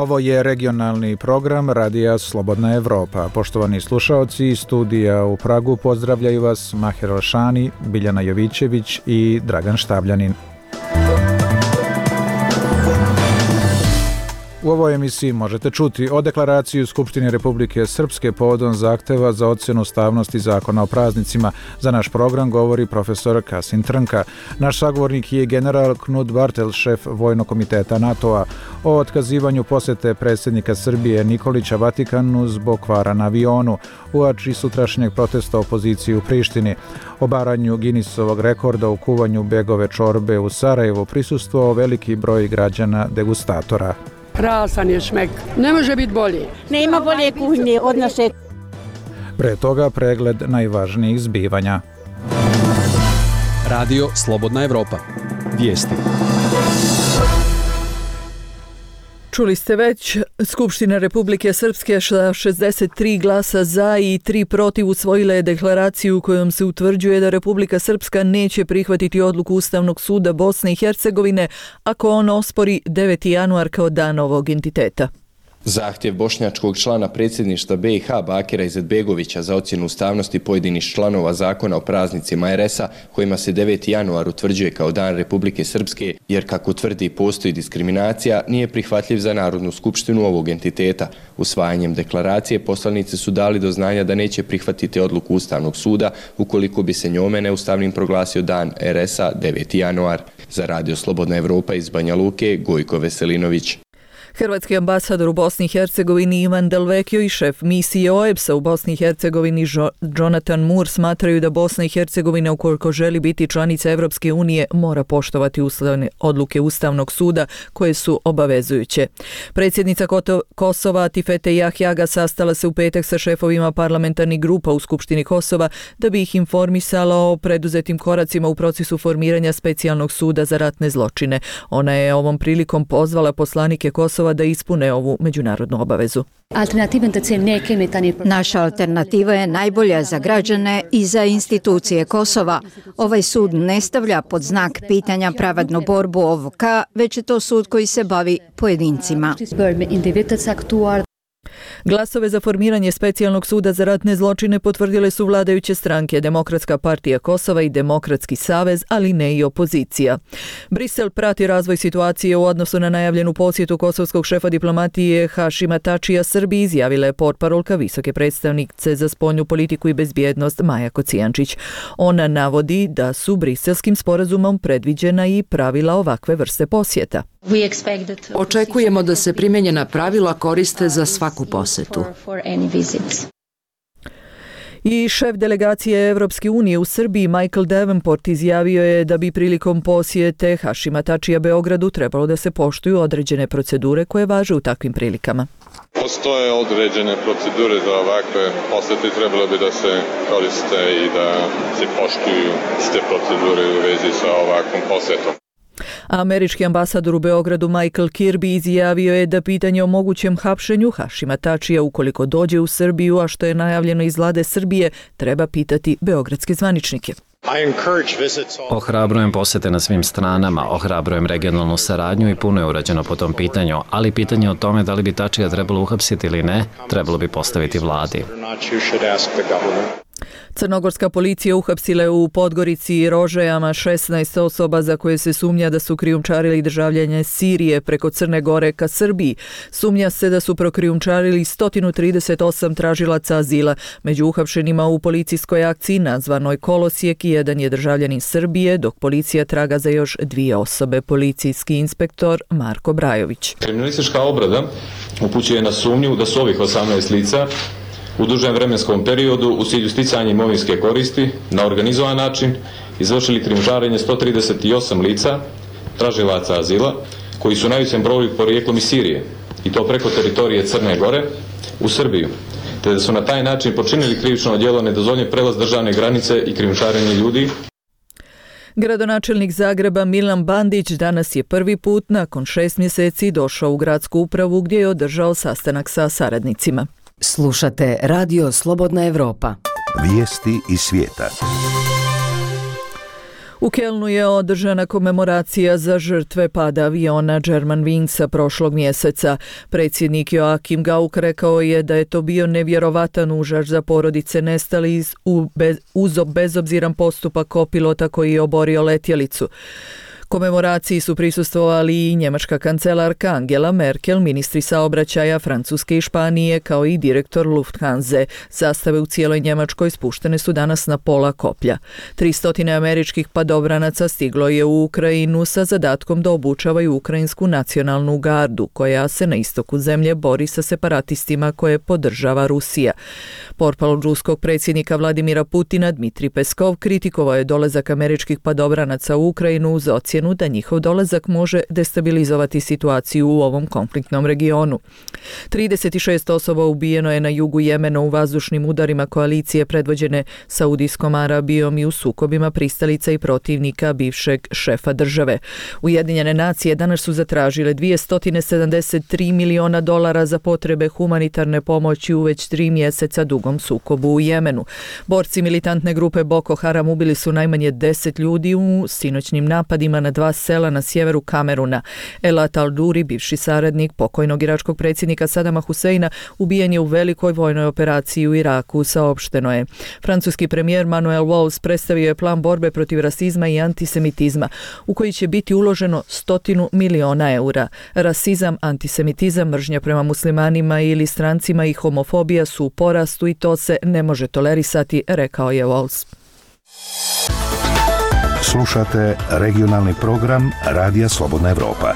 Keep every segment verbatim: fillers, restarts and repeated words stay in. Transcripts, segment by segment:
Ovo je regionalni program Radija Slobodna Evropa. Poštovani slušaoci, iz studija u Pragu pozdravljaju vas Maher Alšani, Biljana Jovićević i Dragan Štabljanin. U ovoj emisiji možete čuti o deklaraciji Skupštine Republike Srpske povodom zahteva za ocjenu ustavnosti zakona o praznicima. Za naš program govori profesor Kasim Trnka. Naš sagovornik je general Knut Bartel, šef Vojnog komiteta NATO-a, o otkazivanju posjete predsjednika Srbije Nikolića Vatikanu zbog kvara na avionu, uoči sutrašnjeg protesta opozicije u Prištini, obaranju Guinnessovog rekorda u kuvanju begove čorbe u Sarajevu, prisustvovao veliki broj građana degustatora. Krasan je šmek. Ne može biti bolji. Nema bolje kuhinje od naše. Pre toga pregled najvažnijih zbivanja. Radio Slobodna Evropa. Vijesti. Čuli ste već, Skupština Republike Srpske sa šezdeset tri glasa za i tri protiv usvojila je deklaraciju kojom se utvrđuje da Republika Srpska neće prihvatiti odluku Ustavnog suda Bosne i Hercegovine ako on ospori deveti januar kao dan ovog entiteta. Zahtjev bošnjačkog člana predsjedništva B i H Bakira Izetbegovića za ocjenu ustavnosti pojedinih članova zakona o praznicima er es a, kojima se deveti januar utvrđuje kao dan Republike Srpske, jer kako tvrdi postoji diskriminacija, nije prihvatljiv za Narodnu skupštinu ovog entiteta. Usvajanjem deklaracije poslanici su dali do znanja da neće prihvatiti odluku Ustavnog suda ukoliko bi se njome neustavnim proglasio dan er es a deveti januar. Za Radio Slobodna Evropa iz Banja Luke, Gojko Veselinović. Hrvatski ambasador u Bosni i Hercegovini Ivan Delvekio i šef misije o e be es-a u Bosni i Hercegovini Jonathan Moore smatraju da Bosna i Hercegovina, ukoliko želi biti članica Evropske unije, mora poštovati ustavne odluke Ustavnog suda koje su obavezujuće. Predsjednica Kosova Tifete Jahjaga sastala se u petak sa šefovima parlamentarnih grupa u Skupštini Kosova da bi ih informisala o preduzetim koracima u procesu formiranja specijalnog suda za ratne zločine. Ona je ovom prilikom pozvala poslanike Kosova da ispune ovu međunarodnu obavezu. Naša alternativa je najbolja za građane i za institucije Kosova. Ovaj sud ne stavlja pod znak pitanja pravednu borbu O V K, već je to sud koji se bavi pojedincima. Glasove za formiranje specijalnog suda za ratne zločine potvrdile su vladajuće stranke Demokratska partija Kosova i Demokratski savez, ali ne i opozicija. Brisel prati razvoj situacije u odnosu na najavljenu posjetu kosovskog šefa diplomatije Hašima Tačija Srbiji, izjavila je portparolka visoke predstavnice za spoljnu politiku i bezbjednost Maja Kocijančić. Ona navodi da su briselskim sporazumom predviđena i pravila ovakve vrste posjeta. Očekujemo da se primijenjena pravila koriste za svaku posetu. I šef delegacije Evropske unije u Srbiji Michael Davenport izjavio je da bi prilikom posjete Hašima Tačija Beogradu trebalo da se poštuju određene procedure koje važe u takvim prilikama. Postoje određene procedure za ovakve posjete, trebalo bi da se koriste i da se poštuju iste procedure u vezi sa ovakvom posjetom. Američki ambasador u Beogradu Michael Kirby izjavio je da pitanje o mogućem hapšenju Hašima Tačija ukoliko dođe u Srbiju, a što je najavljeno iz vlade Srbije, treba pitati beogradske zvaničnike. Ohrabrujem posjete na svim stranama, ohrabrujem regionalnu saradnju i puno je urađeno po tom pitanju, ali pitanje o tome da li bi Tačija trebalo uhapsiti ili ne, trebalo bi postaviti vladi. Crnogorska policija uhapsila je u Podgorici i Rožajama šesnaest osoba za koje se sumnja da su krijumčarili državljane Sirije preko Crne Gore ka Srbiji. Sumnja se da su prokrijumčarili sto trideset osam tražilaca azila. Među uhapšenima u policijskoj akciji nazvanoj Kolosijek jedan je državljanin Srbije, dok policija traga za još dvije osobe. Policijski inspektor Marko Brajović. Kriminalistička obrada upućuje na sumnju da su ovih osamnaest lica u dužem vremenskom periodu u cilju sticanja imovinske koristi na organizovan način izvršili krijumčarenje sto trideset osam lica, tražilaca azila, koji su najvećem broju porijeklom iz Sirije, i to preko teritorije Crne Gore u Srbiju, te da su na taj način počinili krivično djelo nedozvoljen prelaz državne granice i krijumčarenje ljudi. Gradonačelnik Zagreba Milan Bandić danas je prvi put nakon šest mjeseci došao u gradsku upravu gdje je održao sastanak sa saradnicima. Slušate Radio Slobodna Evropa. Vijesti iz svijeta. U Kelnu je održana komemoracija za žrtve pada aviona Germanwingsa prošlog mjeseca. Predsjednik Joachim Gauck rekao je da je to bio nevjerovatan užas za porodice nestalih uz bezobziran postupak kopilota koji je oborio letjelicu. Komemoraciji su prisustvovali i njemačka kancelarka Angela Merkel, ministri saobraćaja Francuske i Španije, kao i direktor Lufthanse. Zastave u cijeloj Njemačkoj spuštene su danas na pola koplja. Tristotine američkih padobranaca stiglo je u Ukrajinu sa zadatkom da obučavaju ukrajinsku nacionalnu gardu, koja se na istoku zemlje bori sa separatistima koje podržava Rusija. Portparol ruskog predsjednika Vladimira Putina Dmitrij Peskov kritikovao je dolazak američkih padobranaca u Ukrajinu uz ocjenu da njihov dolazak može destabilizovati situaciju u ovom konfliktnom regionu. trideset šest osoba ubijeno je na jugu Jemena u vazdušnim udarima koalicije predvođene Saudijskom Arabijom i u sukobima pristalica i protivnika bivšeg šefa države. Ujedinjene nacije danas su zatražile dvjesto sedamdeset tri miliona dolara za potrebe humanitarne pomoći u već tri mjeseca dugom sukobu u Jemenu. Borci militantne grupe Boko Haram ubili su najmanje deset ljudi u sinoćnim napadima na dva sela na sjeveru Kameruna. Elat al-Duri, bivši saradnik pokojnog iračkog predsjednika Sadama Huseina, ubijen je u velikoj vojnoj operaciji u Iraku, saopšteno je. Francuski premijer Manuel Valls predstavio je plan borbe protiv rasizma i antisemitizma, u koji će biti uloženo stotinu miliona eura. Rasizam, antisemitizam, mržnja prema muslimanima ili strancima i homofobija su u porastu i to se ne može tolerisati, rekao je Valls. Slušate regionalni program Radija Slobodna Evropa.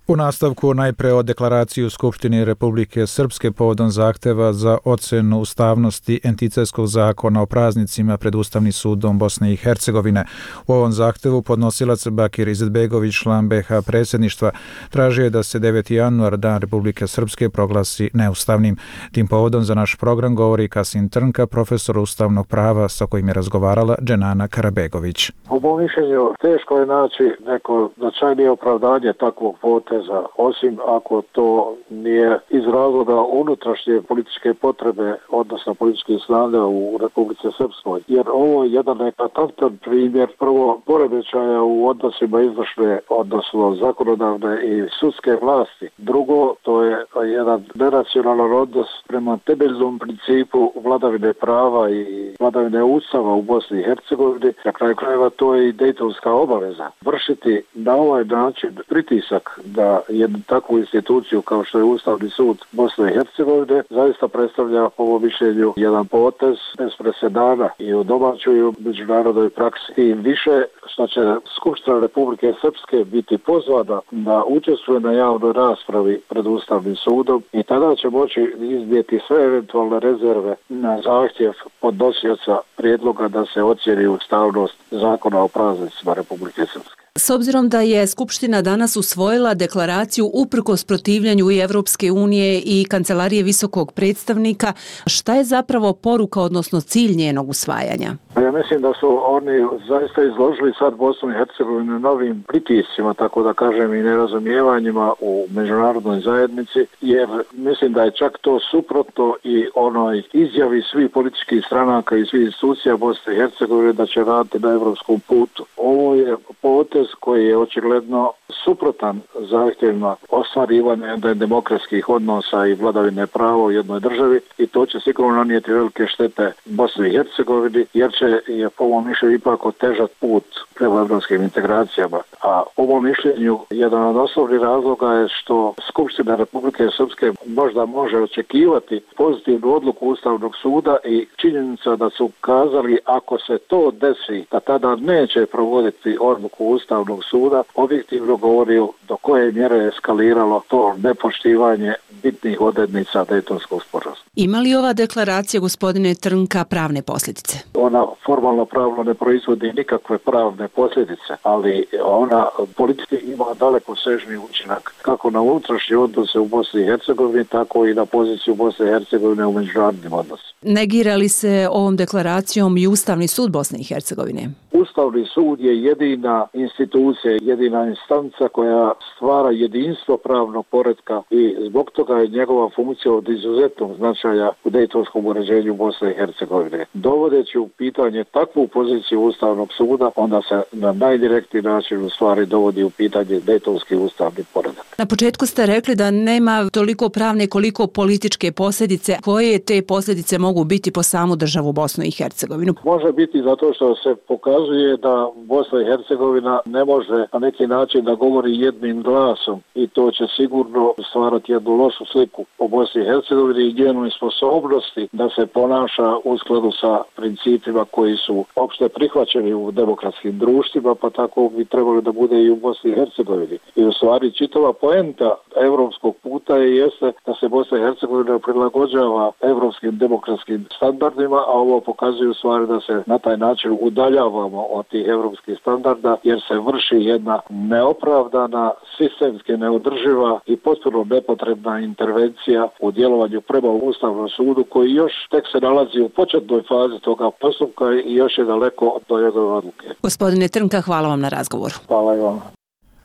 U nastavku najpre o deklaraciji u Skupštini Republike Srpske povodom zahteva za ocenu ustavnosti Entitetskog zakona o praznicima pred Ustavnim sudom Bosne i Hercegovine. U ovom zahtevu podnosilac Bakir Izetbegović, član be ha predsjedništva, tražio je da se deveti januar, Dan Republike Srpske, proglasi neustavnim. Tim povodom za naš program govori Kasim Trnka, profesor ustavnog prava sa kojim je razgovarala Dženana Karabegović. U mom mišljenju teško je naći neko značajnije opravdanje takvog poteza, osim ako to nije iz razloga unutrašnje političke potrebe, odnosno političke snage u Republici Srpskoj. Jer ovo je jedan eklatantan primjer prvo poremećaja u odnosima izvršne, odnosno zakonodavne i sudske vlasti. Drugo, to je jedan neracionalan odnos prema temeljnom principu vladavine prava i vladavine ustava u Bosni i Hercegovini. Na kraju krajeva to je i dejtonska obaveza. Vršiti na ovaj način pritisak da jednu takvu instituciju kao što je Ustavni sud Bosne i Hercegovine zaista predstavlja po ovom mišljenju jedan potez bez presedana i u domaćoj i u međunarodnoj praksi. I više što će Skupština Republike Srpske biti pozvana da učestvuje na javnoj raspravi pred Ustavnim sudom i tada će moći iznijeti sve eventualne rezerve na zahtjev podnosioca prijedloga da se ocijeni ustavnost zakona o praznicima Republike Srpske. S obzirom da je Skupština danas usvojila deklaraciju uprkos protivljanju i Evropske unije i Kancelarije visokog predstavnika, šta je zapravo poruka, odnosno cilj njenog usvajanja? Ja mislim da su oni zaista izložili sad Bosnu i Hercegovinu novim pritiscima, tako da kažem i nerazumijevanjima u međunarodnoj zajednici, jer mislim da je čak to suprotno i onoj izjavi svih političkih stranaka i svih institucija Bosne i Hercegovine da će raditi na evropskom putu. Ovo je potez koji je očigledno suprotan zahtjevima ostvarivanja demokratskih odnosa i vladavine prava u jednoj državi i to će sigurno nanijeti velike štete Bosni i Hercegovini, jer će je po ovom mišljenju ipak otežat put prema evropskim integracijama. A po ovom mišljenju jedan od osnovnih razloga je što Skupština Republike Srpske možda može očekivati pozitivnu odluku Ustavnog suda i činjenica da su kazali ako se to desi da tada neće provoditi odluku Ustavnog suda, objektivno govori do koje mjere je eskaliralo to nepoštivanje bitnih odrednica Dejtonskog sporazuma. Ima li ova deklaracija, gospodine Trnka, pravne posljedice? Ona formalno pravno ne proizvodi nikakve pravne posljedice, ali ona politički ima daleko sežni učinak kako na unutrašnje odnose u Bosni i Hercegovini, tako i na poziciju Bosne i Hercegovine u međunarodnim odnosima. Negira li se ovom deklaracijom i Ustavni sud Bosne i Hercegovine? Ustavni sud je jedina institucija, jedina instanca koja stvara jedinstvo pravnog poretka i zbog toga je njegova funkcija od izuzetnog značaja u dejtonskom uređenju Bosne i Hercegovine. Dovodeći u pitanje takvu poziciju Ustavnog suda, onda se na najdirektniji način u stvari dovodi u pitanje dejtonski ustavni poredak. Na početku ste rekli da nema toliko pravne koliko političke posljedice. Koje te posljedice mogu biti po samu državu Bosnu i Hercegovinu? Može biti zato što se pokazuje da Bosna i Hercegovina ne može na neki način da govori jednim glasom i to će sigurno stvarati jednu lošu sliku o Bosni i Hercegovini i njenoj sposobnosti da se ponaša u skladu sa principima koji su opšte prihvaćeni u demokratskim društvima, pa tako bi trebalo da bude i u Bosni i Hercegovini. I u stvari čitava poenta evropskog puta je jeste da se Bosna i Hercegovina prilagođava evropskim demokratskim standardima, a ovo pokazuje u stvari da se na taj način udaljavamo od tih evropskih standarda jer se vrši jedna neopravdana, sistemski neodrživa i potpuno nepotrebna intervencija u djelovanju prema Ustavnom sudu koji još tek se nalazi u početnoj fazi toga postupka i još je daleko do njegove odluke. Gospodine Trnka, hvala vam na razgovoru. Hvala i vam.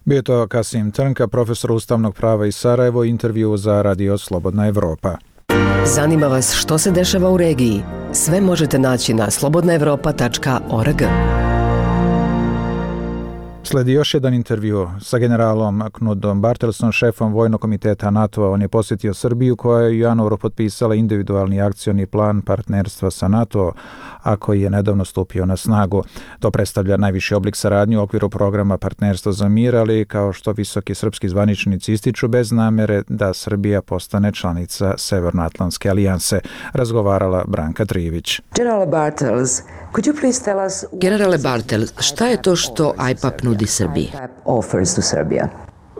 Bio to Kasim Trnka, profesor ustavnog prava iz Sarajevo, intervju za Radio Slobodna Evropa. Zanima vas što se dešava u regiji? Sve možete naći na slobodna evropa tačka org. Sledi još jedan intervju sa generalom Knudom Bartelsom, šefom Vojnog komiteta NATO-a. On je posjetio Srbiju koja je u januaru potpisala individualni akcioni plan partnerstva sa NATO, a koji je nedavno stupio na snagu. To predstavlja najviši oblik saradnje u okviru programa Partnerstvo za mir, ali kao što visoki srpski zvaničnici ističu bez namere da Srbija postane članica Severnoatlantske alijanse. Razgovarala Branka Trivić. General Bartels, could you please tell us... Generale Bartels, šta je to što I P A P nudi Srbiji? Offers to Serbia.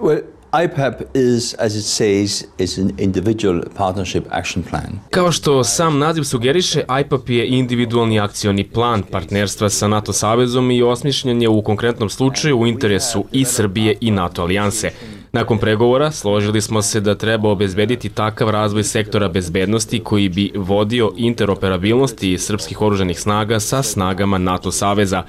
Well, I P A P is, as it says, is an individual partnership action plan. Kao što sam naziv sugeriše, I P A P je individualni akcioni plan partnerstva sa NATO savezom i osmišljen je u konkretnom slučaju u interesu i Srbije i NATO alijanse. Nakon pregovora složili smo se da treba obezbediti takav razvoj sektora bezbednosti koji bi vodio interoperabilnosti srpskih oružanih snaga sa snagama NATO saveza.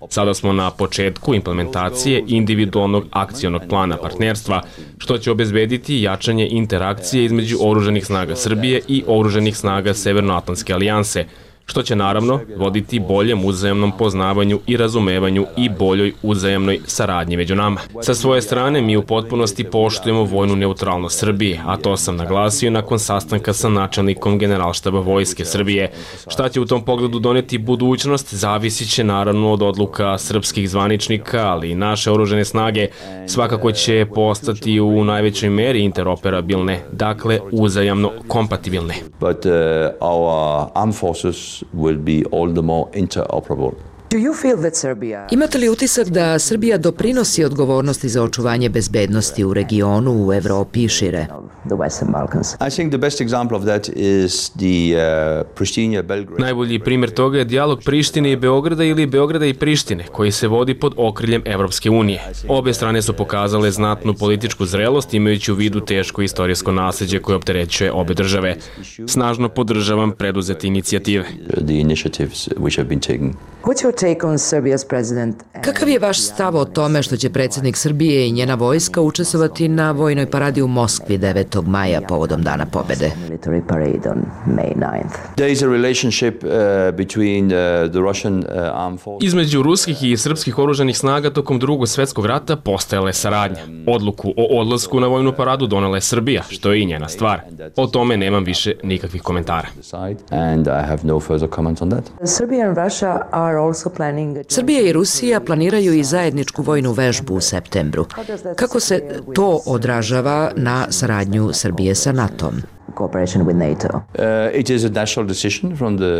Sada smo na početku implementacije individualnog akcionog plana partnerstva, što će obezbediti jačanje interakcije između oružanih snaga Srbije i oružanih snaga Severnoatlantske alijanse, što će naravno voditi boljem uzajamnom poznavanju i razumevanju i boljoj uzajamnoj saradnji među nama. Sa svoje strane mi u potpunosti poštujemo vojnu neutralnost Srbije, a to sam naglasio nakon sastanka sa načelnikom Generalštaba Vojske Srbije. Šta će u tom pogledu doneti budućnost, zavisit će naravno od odluka srpskih zvaničnika, ali i naše oružane snage svakako će postati u najvećoj meri interoperabilne, dakle uzajamno kompatibilne. But uh, our armed forces will be all the more interoperable. Do you feel that Serbia... Imate li utisak da Srbija doprinosi odgovornosti za očuvanje bezbednosti u regionu, u Evropi i šire? The Western Balkans. I think the best example of that is the uh, Pristina-Belgrade. Najbolji primjer toga je dijalog Prištine i Beograda ili Beograda i Prištine, koji se vodi pod okriljem Evropske unije. Obe strane su pokazale znatnu političku zrelost imajući u vidu teško istorijsko nasljeđe koje opterećuje obe države. Snažno podržavam preduzete inicijative. The initiatives which have been taken. What's your take on Serbia's president? Kakav je vaš stav o tome što će predsjednik Srbije i njena vojska učestvovati na vojnoj paradi u Moskvi devetog maja povodom Dana pobede? Military parade on May ninth. There is a relationship uh, between uh, the Russian uh, armed forces. Između ruskih i srpskih oružanih snaga tokom Drugog svjetskog rata postojala je saradnja. Odluku o odlasku na vojnu paradu donela je Srbija, što je i njena stvar. O tome nemam više nikakvih komentara. And I have no further comments on that. Serbia and Russia are also planning... Srbija i Rusija planiraju i zajedničku vojnu vežbu u septembru. Kako se to odražava na saradnju Srbije sa NATO-om? Cooperation with NATO. Uh, it is a national decision from the...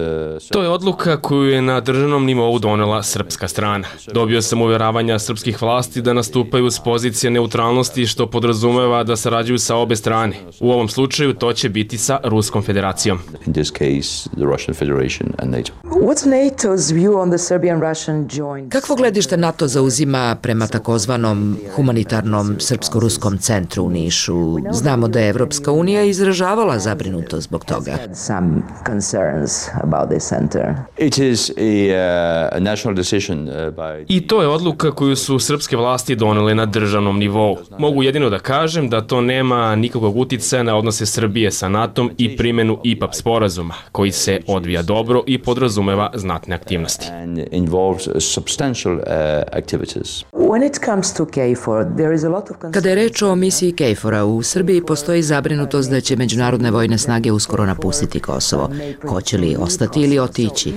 To je odluka koju je na državnom nivou donela srpska strana. Dobio sam uvjeravanja srpskih vlasti da nastupaju s pozicije neutralnosti, što podrazumeva da sarađuju sa obe strane. U ovom slučaju to će biti sa Ruskom federacijom. In this case, the Russian Federation and NATO. What's NATO's view on the Serbian-Russian joint? Kakvo gledište NATO zauzima prema takozvanom humanitarnom srpsko-ruskom centru u Nišu? Znamo da je Evropska unija izražavala postola zabrinutost zbog toga. It is a, a national decision by... I to je odluka koju su srpske vlasti donele na državnom nivou. Mogu jedino da kažem da to nema nikakvog uticaja na odnose Srbije sa NATO-om i primjenu I P A P sporazuma, koji se odvija dobro i podrazumeva znatne aktivnosti. And involves substantial uh, activities. Kada je reč o misiji KFOR-a, u Srbiji postoji zabrinutost da će međunarodne vojne snage uskoro napustiti Kosovo. Hoće li ostati ili otići?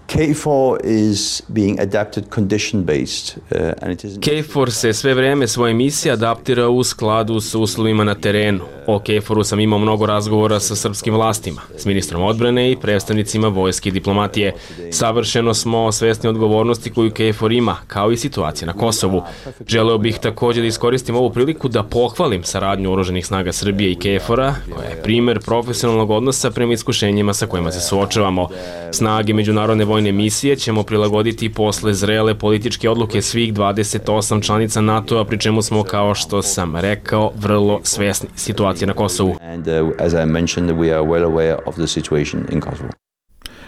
KFOR is being adapted condition based uh, and it is KFOR se sve vreme svoje misije adaptira u skladu sa uslovima na terenu. O KFOR-u sam imao mnogo razgovora sa srpskim vlastima, s ministrom odbrane i predstavnicima vojske i diplomatije. Savršeno smo svesni odgovornosti koju KFOR ima, kao i situacije na Kosovu. Želeo bih također da iskoristim ovu priliku da pohvalim saradnju oružanih snaga Srbije i KFOR-a, koja je primer profesionalnog odnosa prema iskušenjima sa kojima se suočavamo. Snage međunarodne vojne misije ćemo prilagoditi posle zrele političke odluke svih dvadeset osam članica NATO-a, pri čemu smo, kao što sam rekao, vrlo svesni situacije na Kosovu. And uh, as I mentioned, we are well aware of the situation in Kosovo.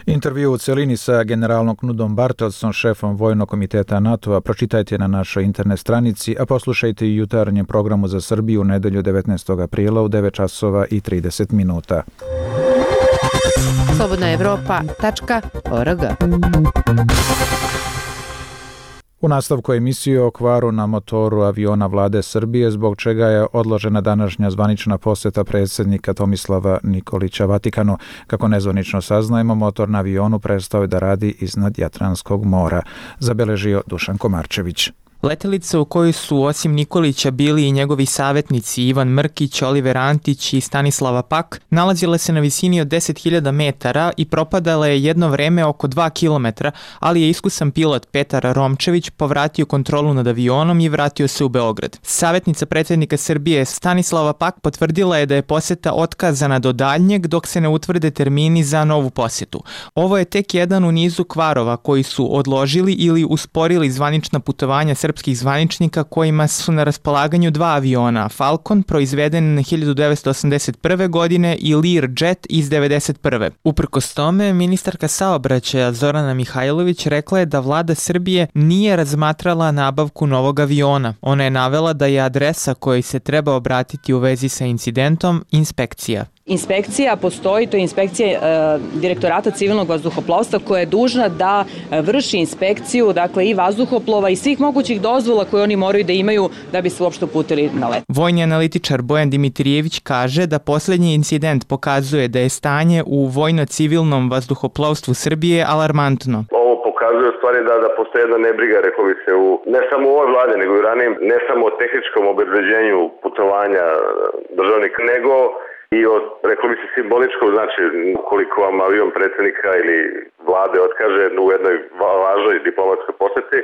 Intervju u celini sa generalom Knudom Bartelsom, šefom Vojnog komiteta NATO-a, pročitajte na našoj internet stranici, a poslušajte i jutarnjem programu za Srbiju u nedelju devetnaestog aprila u devet časova i trideset minuta. slobodna evropa tačka org. U nastavku emisije o kvaru na motoru aviona vlade Srbije, zbog čega je odložena današnja zvanična poseta predsjednika Tomislava Nikolića Vatikanu. Kako nezvanično saznajemo, motor na avionu prestao je da radi iznad Jadranskog mora, zabeležio Dušan Komarčević. Letelica u kojoj su osim Nikolića bili i njegovi savjetnici Ivan Mrkić, Oliver Antić i Stanislava Pak, nalazila se na visini od deset hiljada metara i propadala je jedno vreme oko dva kilometra, ali je iskusan pilot Petar Romčević povratio kontrolu nad avionom i vratio se u Beograd. Savjetnica predsjednika Srbije Stanislava Pak potvrdila je da je poseta otkazana do daljnjeg dok se ne utvrde termini za novu posjetu. Ovo je tek jedan u nizu kvarova koji su odložili ili usporili zvanična putovanja srpskih zvaničnika kojima su na raspolaganju dva aviona, Falcon proizveden hiljadu devetsto osamdeset prve. godine i Learjet iz devedeset prve. Uprkos tome, ministarka saobraćaja Zorana Mihajlović rekla je da vlada Srbije nije razmatrala nabavku novog aviona. Ona je navela da je adresa kojoj se treba obratiti u vezi sa incidentom inspekcija. Inspekcija postoji, to je inspekcija e, Direktorata civilnog vazduhoplovstva koja je dužna da e, vrši inspekciju, dakle i vazduhoplova i svih mogućih dozvola koje oni moraju da imaju da bi se uopšte uputili na let. Vojni analitičar Bojan Dimitrijević kaže da posljednji incident pokazuje da je stanje u vojno-civilnom vazduhoplovstvu Srbije alarmantno. Ovo pokazuje u stvari da, da postoji jedna nebriga, rekao bi se, u, ne samo u ovoj vlade, nego i ranijim, ne samo o tehničkom obezbeđenju putovanja državnika, nego i od, rekao bi se, simboličkog, znači ukoliko vam avion predsjednika ili vlade otkaže u jednoj važnoj diplomatskoj posjeti,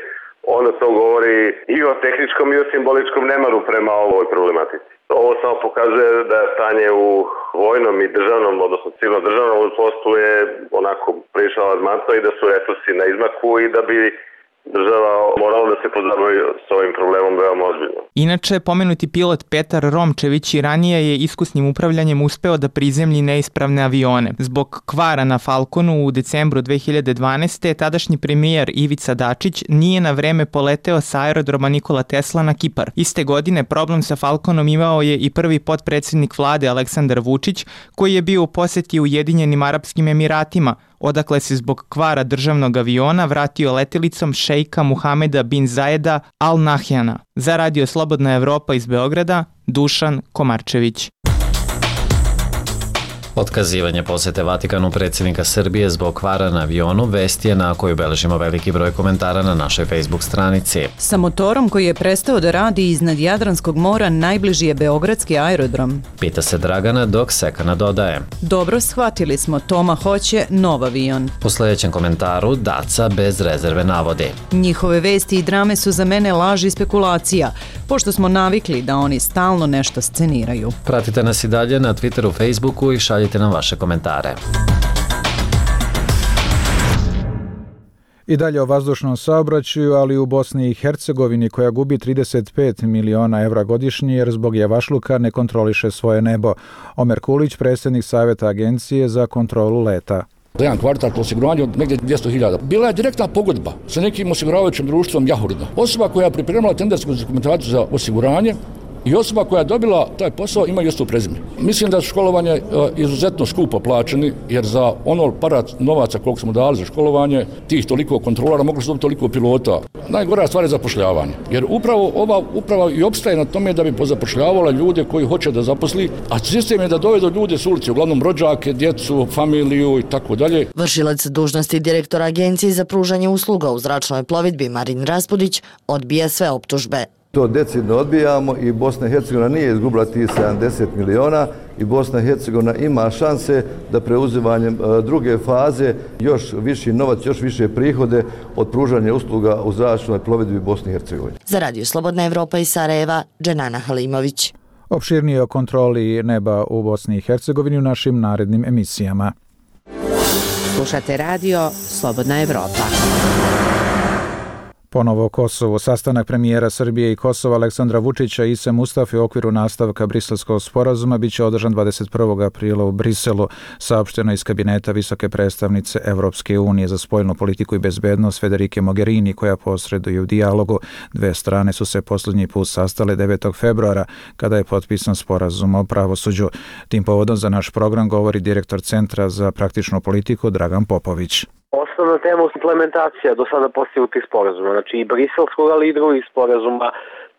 onda to govori i o tehničkom i o simboličkom nemaru prema ovoj problematici. Ovo samo pokazuje da je stanje u vojnom i državnom, odnosno civilno državnom vazduhoplovstvu je onako prilično alarmantno i da su resursi na izmaku i da bi država morala da se pozabavi s ovim problemom veoma ozbiljno. Inače, pomenuti pilot Petar Romčević i ranije je iskusnim upravljanjem uspeo da prizemlji neispravne avione. Zbog kvara na Falconu u decembru dve hiljade dvanaeste. tadašnji premijer Ivica Dačić nije na vreme poleteo sa aerodroma Nikola Tesla na Kipar. Iste godine problem sa Falconom imao je i prvi potpredsjednik vlade Aleksandar Vučić, koji je bio u posjeti Ujedinjenim Arapskim Emiratima, odakle se zbog kvara državnog aviona vratio letelicom šejka Muhameda bin Zajeda Al Nahyana. Za Radio Slobodna Evropa iz Beograda, Dušan Komarčević. Otkazivanje posete Vatikanu predsjednika Srbije zbog kvara na avionu vest je na koju beležimo veliki broj komentara na našoj Facebook stranici. Sa motorom koji je prestao da radi iznad Jadranskog mora najbliži je beogradski aerodrom. Pita se Dragana dok Sekana dodaje. Dobro, shvatili smo, Toma hoće nov avion. Po sljedećem komentaru Daca bez rezerve navodi. Njihove vesti i drame su za mene laž i spekulacija, pošto smo navikli da oni stalno nešto sceniraju. Pratite nas i dalje na Twitteru, Facebooku i šaljite nam vaše komentare. I dalje o vazdušnom saobraćaju, ali u Bosni i Hercegovini koja gubi trideset pet miliona evra godišnje jer zbog javašluka ne kontroliše svoje nebo. Omer Kulić, predsjednik Savjeta Agencije za kontrolu leta. Za jedan kvartal po osiguranju od negdje dvjesto hiljada. Bila je direktna pogodba sa nekim osiguravajućim društvom Jahurda. Osoba koja je pripremila tendersku dokumentaciju za osiguranje i osoba koja je dobila taj posao ima isto prezime. Mislim da su školovanje izuzetno skupo plaćeni, jer za ono parat novaca koliko smo dali za školovanje, tih toliko kontrolora, mogli su dobiti toliko pilota. Najgora stvar je zapošljavanje, jer upravo ova uprava i opstaje na tome da bi pozapošljavala ljude koji hoće da zaposli, a sistem je da dovedu ljude s ulice, uglavnom rođake, djecu, familiju i tako dalje. Vršilac dužnosti direktora Agencije za pružanje usluga u zračnoj plovidbi Marin Raspudić odbija sve optužbe. To decidno odbijamo i Bosna i Hercegovina nije izgubila tih sedamdeset miliona i Bosna i Hercegovina ima šanse da preuzimanjem druge faze još viši novac, još više prihode od pružanja usluga u zračnoj plovidbi Bosne i Hercegovine. Za Radio Slobodna Evropa iz Sarajeva, Dženana Halimović. Opširnije o kontroli neba u Bosni i Hercegovini u našim narednim emisijama. Slušate radio Slobodna Evropa. Ponovo Kosovo. Sastanak premijera Srbije i Kosova Aleksandra Vučića i Ise Mustafe u okviru nastavka Briselskog sporazuma biće održan dvadeset prvog aprila u Briselu, saopšteno iz kabineta visoke predstavnice Evropske unije za spoljnu politiku i bezbednost Federike Mogherini, koja posreduje u dijalogu. Dve strane su se posljednji put sastale devetog februara, kada je potpisan sporazum o pravosuđu. Tim povodom za naš program govori direktor Centra za praktičnu politiku Dragan Popović. Osnovna tema je implementacija do sada postignutih sporazuma, znači i briselskog, ali i drugih sporazuma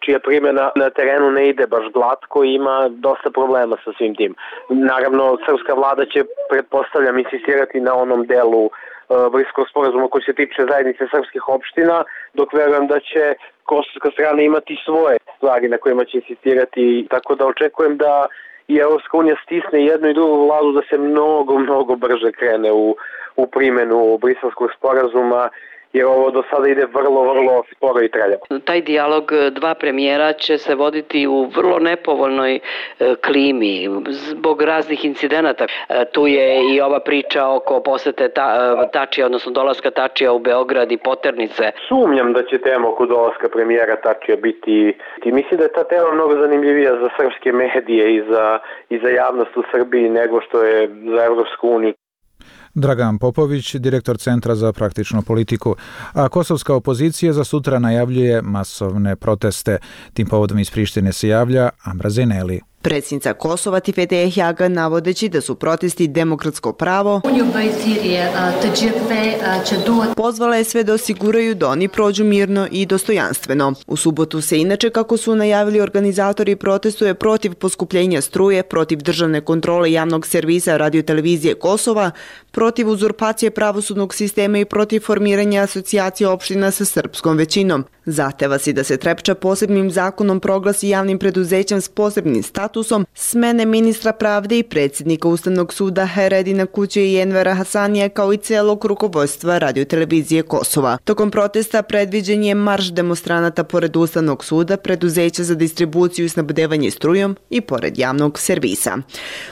čija primjena na terenu ne ide baš glatko i ima dosta problema sa svim tim. Naravno, srpska vlada će, pretpostavljam, insistirati na onom delu uh, briselskog sporazuma koji se tiče zajednice srpskih opština, dok verujem da će kosovska strana imati svoje stvari na kojima će insistirati, tako da očekujem da i Evropska unija stisne jednu i drugu vladu da se mnogo, mnogo brže krene u u primjenu briselskog sporazuma, jer ovo do sada ide vrlo, vrlo sporo i traljavo. Taj dijalog dva premijera će se voditi u vrlo nepovoljnoj klimi zbog raznih incidenata. Tu je i ova priča oko posete ta, Tačija, odnosno dolaska Tačija u Beograd i poternice. Sumnjam da će tema oko dolaska premijera Tačija biti, i mislim da je ta tema mnogo zanimljivija za srpske medije i za, i za javnost u Srbiji nego što je za Evropsku uniju. Dragan Popović, direktor Centra za praktičnu politiku, a kosovska opozicija za sutra najavljuje masovne proteste. Tim povodom iz Prištine se javlja Amra Zeneli. Predsjednica Kosova Tifete Ehjaga, navodeći da su protesti demokratsko pravo, pozvala je sve da osiguraju da oni prođu mirno i dostojanstveno. U subotu se inače, kako su najavili organizatori, protestuje protiv poskupljenja struje, protiv državne kontrole javnog servisa radiotelevizije Kosova, protiv uzurpacije pravosudnog sistema i protiv formiranja asocijacije opština sa srpskom većinom. Zahteva si da se Trepča posebnim zakonom proglasi javnim preduzećem s posebnim statusom, smene ministra pravde i predsjednika Ustavnog suda Heredina Kuće i Envera Hasanija, kao i celog rukovodstva radiotelevizije Kosova. Tokom protesta predviđen je marš demonstranata pored Ustavnog suda, preduzeća za distribuciju i snabdevanje strujom i pored javnog servisa.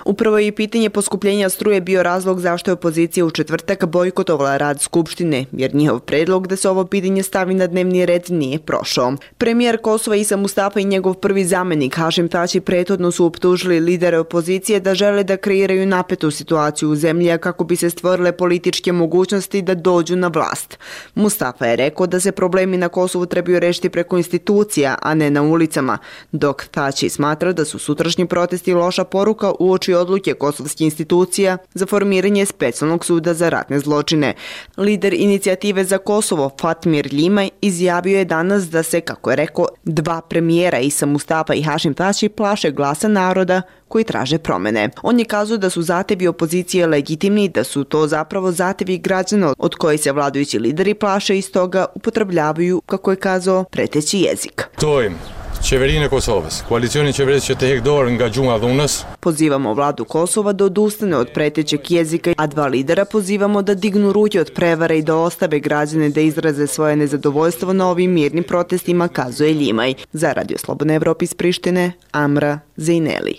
Upravo je i pitanje poskupljenja struje bio razlog zašto je opozicija u četvrtak bojkotovala rad Skupštine, jer njihov predlog da se ovo pitanje stavi na dnevni red nije prošao. Premijer Kosova Isa Mustafa i njegov prvi zamenik Hašim Tači prethodno su optužili lidere opozicije da žele da kreiraju napetu situaciju u zemlji kako bi se stvorile političke mogućnosti da dođu na vlast. Mustafa je rekao da se problemi na Kosovu trebaju rešiti preko institucija, a ne na ulicama, dok Tači smatra da su sutrašnji protesti loša poruka uoči odluke kosovskih institucija za formiranje specijalnog suda za ratne zločine. Lider inicijative za Kosovo Fatmir Ljimaj izjavio je danas da se, kako je rekao, dva premijera Isa Mustafa i Hašim Tači plaše glasa naroda koji traže promene. On je kazao da su zahtevi opozicije legitimni, da su to zapravo zahtevi građana od kojih se vladajući lideri plaše i stoga upotrebljavaju, kako je kazao, preteći jezik. Tojim. Qeverinë e Kosovës. Koalicioni qeverisë që të heq dorë nga gjunga dhunës. Pozivamo vladu Kosova da odustane od pretećeg jezika, a dva lidera pozivamo da dignu ruke od prevare i da ostave građane da izraze svoje nezadovoljstvo na ovim mirnim protestima, kazuje Ljimaj. Za Radio Slobodna Evropa iz Prištine, Amra Zejneli.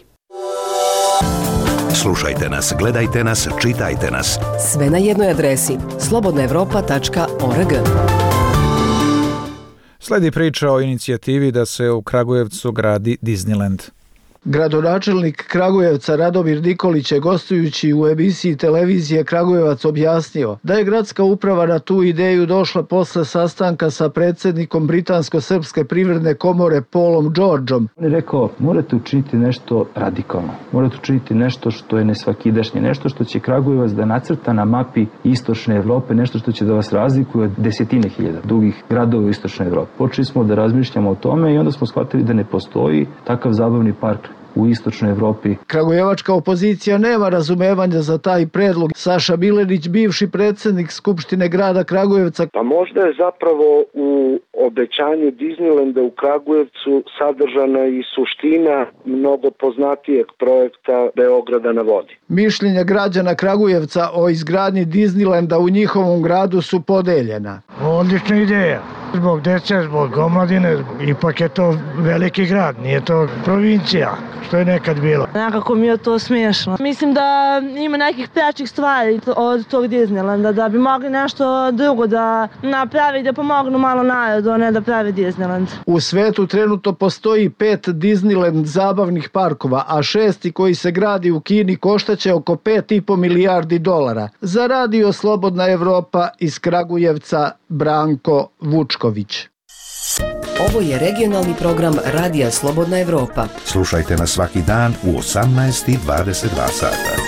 Slušajte nas, gledajte nas, čitajte nas. Sve na jednoj adresi slobodna evropa tačka org. Sledi priča o inicijativi da se u Kragujevcu gradi Disneyland. Gradonačelnik Kragujevca Radomir Nikolić je gostujući u emisiji televizije Kragujevac objasnio da je gradska uprava na tu ideju došla posle sastanka sa predsjednikom Britansko-srpske privredne komore Paulom Georgeom. On je rekao, morate učiniti nešto radikalno, morate učiniti nešto što je nesvakidašnje, nešto što će Kragujevac da nacrta na mapi istočne Evrope, nešto što će da vas razlikuje od desetine hiljada drugih gradova u istočnoj Evropi. Počeli smo da razmišljamo o tome i onda smo shvatili da ne postoji takav zabavni park u istočnoj Evropi. Kragujevačka opozicija nema razumevanja za taj predlog. Saša Milenić, bivši predsjednik Skupštine grada Kragujevca. Pa možda je zapravo u obećanju Disneylanda u Kragujevcu sadržana i suština mnogo poznatijeg projekta Beograda na vodi. Mišljenja građana Kragujevca o izgradnji Disneylanda u njihovom gradu su podeljena. Odlična ideja. Zbog dece, zbog omladine, ipak je to veliki grad, nije to provincija, što je nekad bilo. Nekako mi je to smiješno. Mislim da ima nekih prečih stvari od tog Disneylanda, da bi mogli nešto drugo da napravi, da pomognu malo narodu, a ne da pravi Disneyland. U svetu trenutno postoji pet Disneyland zabavnih parkova, a šesti koji se gradi u Kini koštaće oko pet i po milijardi dolara. Za radio Slobodna Evropa iz Kragujevca, Branko Vučković. Ovo je regionalni program Radija Slobodna Evropa. Slušajte nas svaki dan u osamnaest i dvadeset dva sata.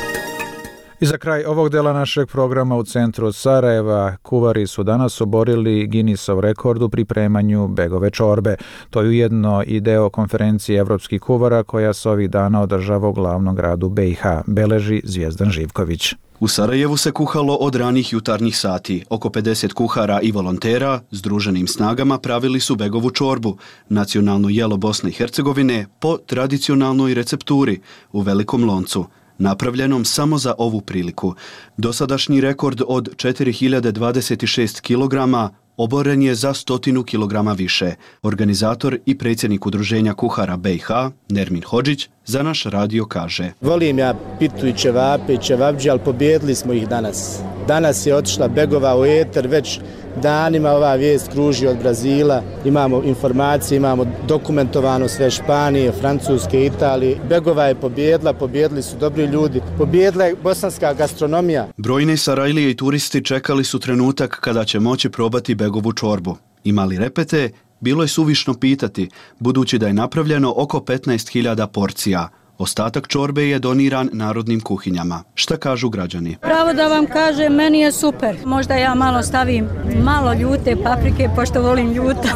I za kraj ovog dela našeg programa u centru Sarajeva, kuvari su danas oborili Guinnessov rekord u pripremanju begove čorbe. To je ujedno i deo konferencije evropskih kuvara koja se ovih dana održava u glavnom gradu B i H, beleži Zvijezdan Živković. U Sarajevu se kuhalo od ranih jutarnjih sati. Oko pedeset kuhara i volontera združenim snagama pravili su begovu čorbu, nacionalno jelo Bosne i Hercegovine, po tradicionalnoj recepturi u velikom loncu, napravljenom samo za ovu priliku. Dosadašnji rekord od četiri hiljade dvadeset šest kilograma oboren je za stotinu kilograma više. Organizator i predsjednik udruženja kuhara B i H, Nermin Hodžić, za naš radio kaže: Volim ja pitu i ćevape i ćevabđe, ali pobjedili smo ih danas. Danas je otišla begova u eter, već danima ova vijest kruži od Brazila. Imamo informacije, imamo dokumentovano sve Španije, Francuske, Italije. Begova je pobjedila, pobjedili su dobri ljudi, pobjedila je bosanska gastronomija. Brojni Sarajlije i turisti čekali su trenutak kada će moći probati begovu čorbu. Imali repete, bilo je suvišno pitati, budući da je napravljeno oko petnaest hiljada porcija. Ostatak čorbe je doniran narodnim kuhinjama. Šta kažu građani? Pravo da vam kažem, meni je super. Možda ja malo stavim malo ljute paprike, pošto volim ljuto.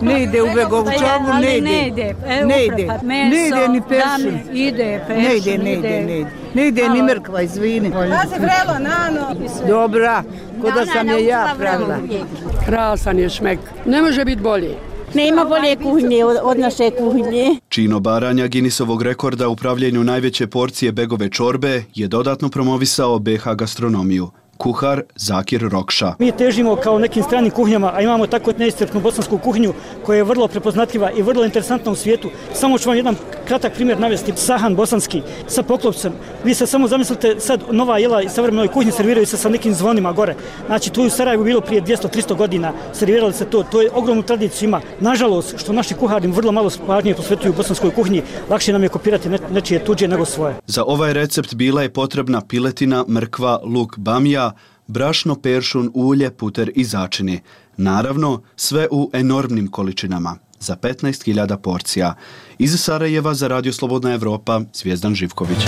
Ne ide u begovu čorbu, ne ide. Ne ide. E, ne ide. Pa meso, ne ide ni peršin. Ide peršin. Ne ide, ne ide, ne ide. Ne ide ni mrkva, izvini. Da se vrelo, nano. Dobra, ko da sam je ja pravila. Krasan je šmek. Ne može biti bolje. Nema bolje kuhinje od, od naše kuhinje. Čin obaranja Guinnessovog rekorda u pravljenju najveće porcije begove čorbe je dodatno promovisao B H gastronomiju. Kuhar Zakir Rokša. Mi težimo kao nekim stranim kuhinjama, a imamo tako neiscrpnu bosansku kuhinju koja je vrlo prepoznatljiva i vrlo interesantna u svijetu. Samo ću vam jedan kratak primjer navesti. Sahan bosanski sa poklopcem. Vi se samo zamislite, sad nova jela iz savremenoj kuhinji serviraju se sa nekim zvonima gore. Znači, tu u Sarajevu bilo prije dvjesto do tristo godina, servirali se to. To je ogromnu tradiciju ima. Nažalost, što naši kuhari vrlo malo pažnje posvetuju bosanskoj kuhinji, lakše nam je kopirati nečije tuđe nego svoje. Za ovaj recept bila je potrebna piletina, mrkva, luk, bamija, brašno, peršun, ulje, puter i začini. Naravno, sve u enormnim količinama, za petnaest hiljada porcija. Iz Sarajeva za Radio Slobodna Evropa, Zvijezdan Živković.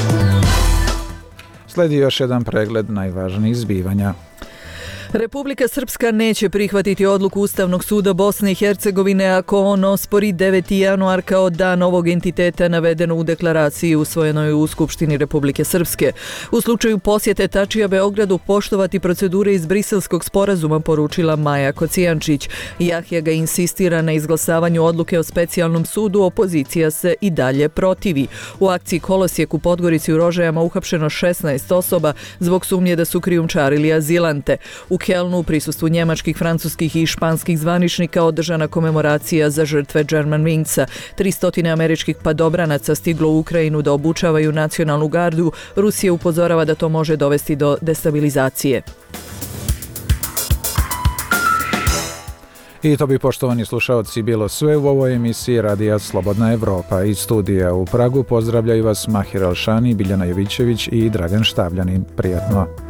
Sledi još jedan pregled najvažnijih zbivanja. Republika Srpska neće prihvatiti odluku Ustavnog suda Bosne i Hercegovine ako on ospori deveti januar kao dan ovog entiteta navedeno u deklaraciji usvojenoj u Skupštini Republike Srpske. U slučaju posjete Tačija Beogradu poštovati procedure iz Briselskog sporazuma, poručila Maja Kocijančić. Jahja ga insistira na izglasavanju odluke o specijalnom sudu, opozicija se i dalje protivi. U akciji Kolosijek u Podgorici u Rožajama uhapšeno šesnaest osoba zbog sumnje da su krijumčarili azilante. U Kelnu u prisustvu njemačkih, francuskih i španskih zvaničnika održana komemoracija za žrtve Germanwingsa. tristo američkih padobranaca stiglo u Ukrajinu da obučavaju nacionalnu gardu. Rusija upozorava da to može dovesti do destabilizacije. I to bi, poštovani slušaoci, bilo sve u ovoj emisiji Radija Slobodna Evropa. Iz studija u Pragu pozdravljaju vas Mahir Alšani, Biljana Jovićević i Dragan Štabljanin. Prijatno.